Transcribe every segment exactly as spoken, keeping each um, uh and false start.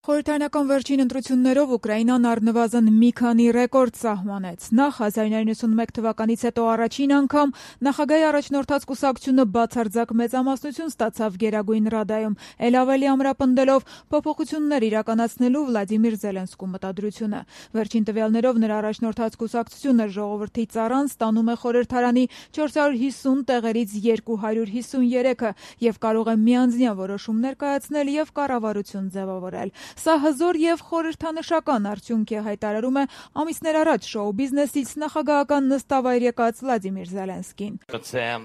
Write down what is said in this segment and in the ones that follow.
Խորհրդարանական վերջին ընտրություններով Ուկրաինան առնվազն մի քանի ռեկորդ սահմանեց։ Նախ հազար իննսուն իննսունմեկ թվականից հետո առաջին անգամ նախագահի առաջնորդած կուսակցությունը բացարձակ մեծամասնություն ստացավ Գերագույն Ռադայում, ել ավելի ամրապնդելով փոփոխություններ իրականացնելու Վլադիմիր Զելենսկու մտադրությունը։ Վերջին տվյալներով նրա առաջնորդած կուսակցությունը ժողովրդի ծառան ստանում է խորհրդարանի չորս հարյուր հիսուն տեղերից երկու հարյուր հիսուներեքը եւ կարող է միանձնյա որոշումներ կայացնել եւ կառավարություն ձևավորել։ Սա հզոր եւ խորհրդանշական արդյունք է, հայտարարում է ամիսներ առաջ շոու բիզնեսից նախագահական նստավայր եկած Վլադիմիր Զելենսկին։ Це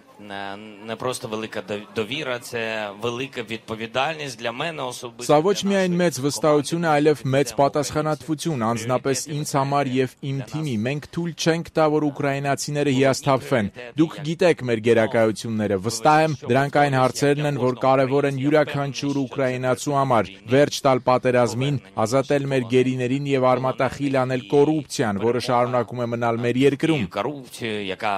не просто велика довіра, це велика відповідальність для мене особисто. Սա ոչ միայն մեծ վստահություն է, այլև մեծ պատասխանատվություն, անձնապես ինձ համար եւ իմ թիմի։ Մենք թույլ չենք տա, որ ուկրաինացիները հիասթափվեն։ Դուք գիտեք մեր գերակայությունները։ Վստահ եմ, դրանք այն հարցերն են, որ կարևոր են յուրաքանչյուր ուկրաինացու համար։ Վերջ տալ պատերազմին, ազատել մեր գերիներին եւ արմատախիլ անել կոռուպցիան, որը շարունակում է մնալ մեր երկրում։ Корупцію, яка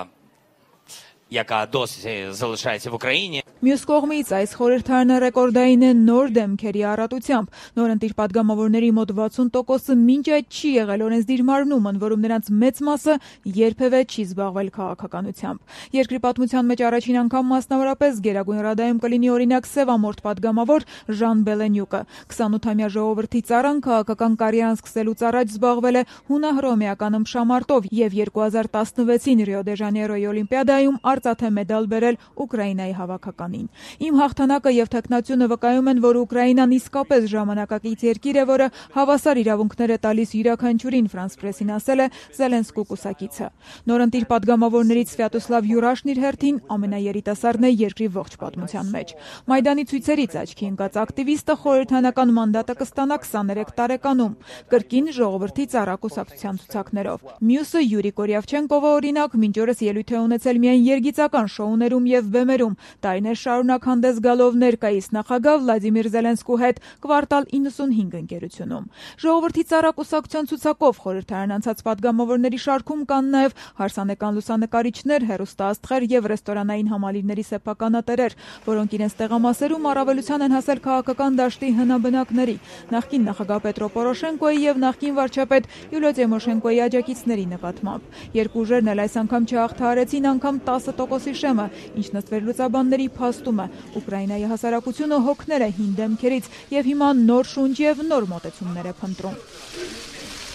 яка досі залишається в Україні. Մյուս կողմից այս խորհրդարանը ռեկորդային է նոր դեմքերի առատությամբ։ Նորընտիր падգամավորների մոտ վաթսուն տոկոսը մինչ այդ չի եղել օրենսդիր մարմնում, ընդ որում նրանց մեծ մասը երբևէ չի զբաղվել քաղաքականությամբ։ Երկրի պատմության մեջ առաջին անգամ մասնավորապես Գերագույն Ռադայում կլինի օրինակ սևամորթ падգամավոր Ժան Բելենյուկը։ քսանութամյա ժողովրդի ծառան քաղաքական կարիերան սկսելուց առաջ զբաղվել է հունահռոմեական ըմբշամարտով եւ երկու հազար տասնվեցին Ռիո դե Ժանեյրոյի օլիմպիադայում արծաթե մեդալ բերել Ուկրաինայի հավաքական։ Իմ հաղթանակը եւ թեկնածությունը վկայում են, որ Ուկրաինան իսկապես ժամանակակից երկիր է, որը հավասար իրավունքներ է տալիս յուրաքանչյուրին, Ֆրանս Պրեսին ասել է Զելենսկու կուսակիցը։ Նորընտիր падգամավորներից Սվյատոսլավ Յուրաշն իր հերթին ամենաերիտասարդն է երկրի ողջ պատմության մեջ։ Մայդանի ցույցերից աչքի ընկած ակտիվիստը խորհրդարանական մանդատը կստանա քսաներեք տարեկանում, կրկին ժողովրդի ծառա կուսակցության ցուցակներով։ Մյուսը Յուրի Կորյավչենկովը օրինակ մինչ օրս ելույթ է ունեցել միայն երգիծական շոուներում եւ բեմերում, տարիներ շարունակ հանդես գալով ներկայիս նախագահ Վլադիմիր Զելենսկու հետ Կվարտալ իննսունհինգ ընկերությունում։ Ժողովրդի ծառակուսակցության ցուցակով խորհրդարան անցած падգամավորների շարքում կան նաև հարսանեկան լուսանկարիչներ, հեռուստաաստղեր եւ ռեստորանային համալիրների սեփականատերեր, որոնք իրենց տեղամասերում առավելության են հասել քաղաքական դաշտի հնաբնակների, նախկին նախագահ Պետրո Պորոշենկոյի եւ նախկին վարչապետ Յուլիո Տիմոշենկոյի աջակիցների նկատմամբ։ Երկու ուժերն էլ այս անգամ չհաղթահարեցին անգամ տասը տոկոսի շեմը, ինչ նստվելուծաբանների փաստում է Ուկրաինայի հասարակությունը հոգներ է հին դեմքերից եւ հիմա նոր շունչ եւ նոր մոտեցումներ է փնտրում։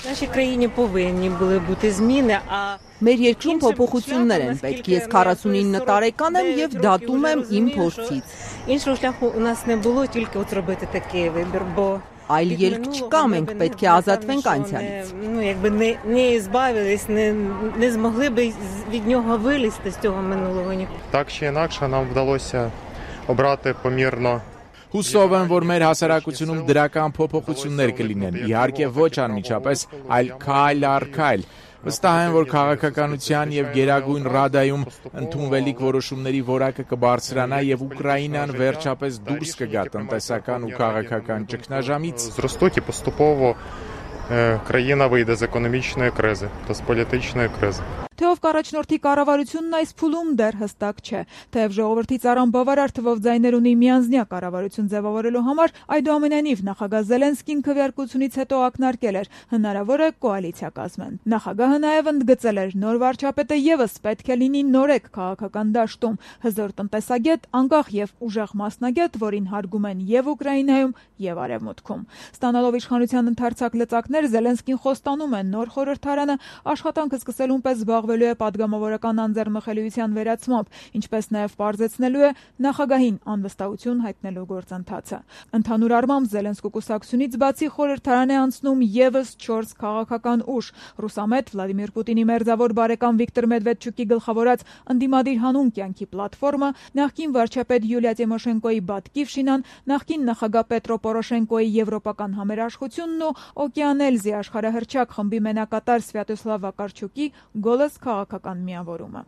Нашій країні повинні були бути зміни, а Մեր երկրում փոփոխություններ են պետք։ Ես քառասունինը տարեկան եմ եւ դատում եմ իմ փորձից։ Іншого шляху у нас не було, тільки от зробити такий вибір, бо Այլ ելք չկա, մենք պետք է ազատվենք անցյալից։ Ну, якби не не збавились, не не змогли би від нього вилізти з цього минулого ніколи. Так чи інакше нам вдалося обрати помірно. Հուսով եմ, որ մեր հասարակությունում դրական փոփոխություններ կլինեն, իհարկե ոչ անմիջապես, այլ քայլ առ քայլ։ Վստահ եմ, որ քաղաքականության եւ Գերագույն Ռադայում ընդունվելիք որոշումների որակը կբարձրանա եւ Ուկրաինան վերջապես դուրս կգա տնտեսական ու քաղաքական ճգնաժամից։ Зростуть і поступово країна вийде з економічної кризи та з політичної кризи. Թե ով կառաջնորդի կառավարությունն այս փուլում դեռ հստակ չէ։ Թեև ժողովրդի ծառան բավարար թվով ձայներ ունի միանձնյա կառավարություն ձևավորելու համար, այդուամենայնիվ նախագահ Զելենսկին քվեարկությունից հետո ակնարկել էր հնարավոր է կոալիցիա կազմեն։ Նախագահը նաև ընդգծել էր նոր վարչապետը եւս պետք է լինի նորեկ քաղաքական դաշտում, հզոր տնտեսագետ, անկախ եւ ուժեղ մասնագետ, որին հարգում են եւ Ուկրաինայում եւ Արևմուտքում։ Ստանալով իշխանության ընդարձակ լծակներ, Զելենսկին խոստանում է նոր խորհրդարանը աշխատանքը սկսելուն պես զբաղվելու է падգամավորական անձեռմխելիության վերացմամբ, ինչպես նաև պարզեցնելու է նախագահին անվստահություն հայտնելու գործընթացը։ Ընդհանուր առմամբ Զելենսկու կուսակցությունից բացի խորհրդարան է անցնում եւս չորս քաղաքական ուժ՝ ռուսամետ Վլադիմիր Պուտինի մերձավոր բարեկամ Վիկտոր Մեդվեդչուկի գլխավորած ընդդիմադիր հանուն կյանքի պլատֆորմը, նախկին վարչապետ Յուլիա Տիմոշենկոյի Բատկիվշինան, նախկին նախագահ Պետրո Պորոշենկոյի Եվրոպական համերաշխությունն ու Օկեանելզի աշխարհահռչակ խմբի մենակատար Սվյատոսլավ Վակարչուկի գոլս քաղաքական միավորումը։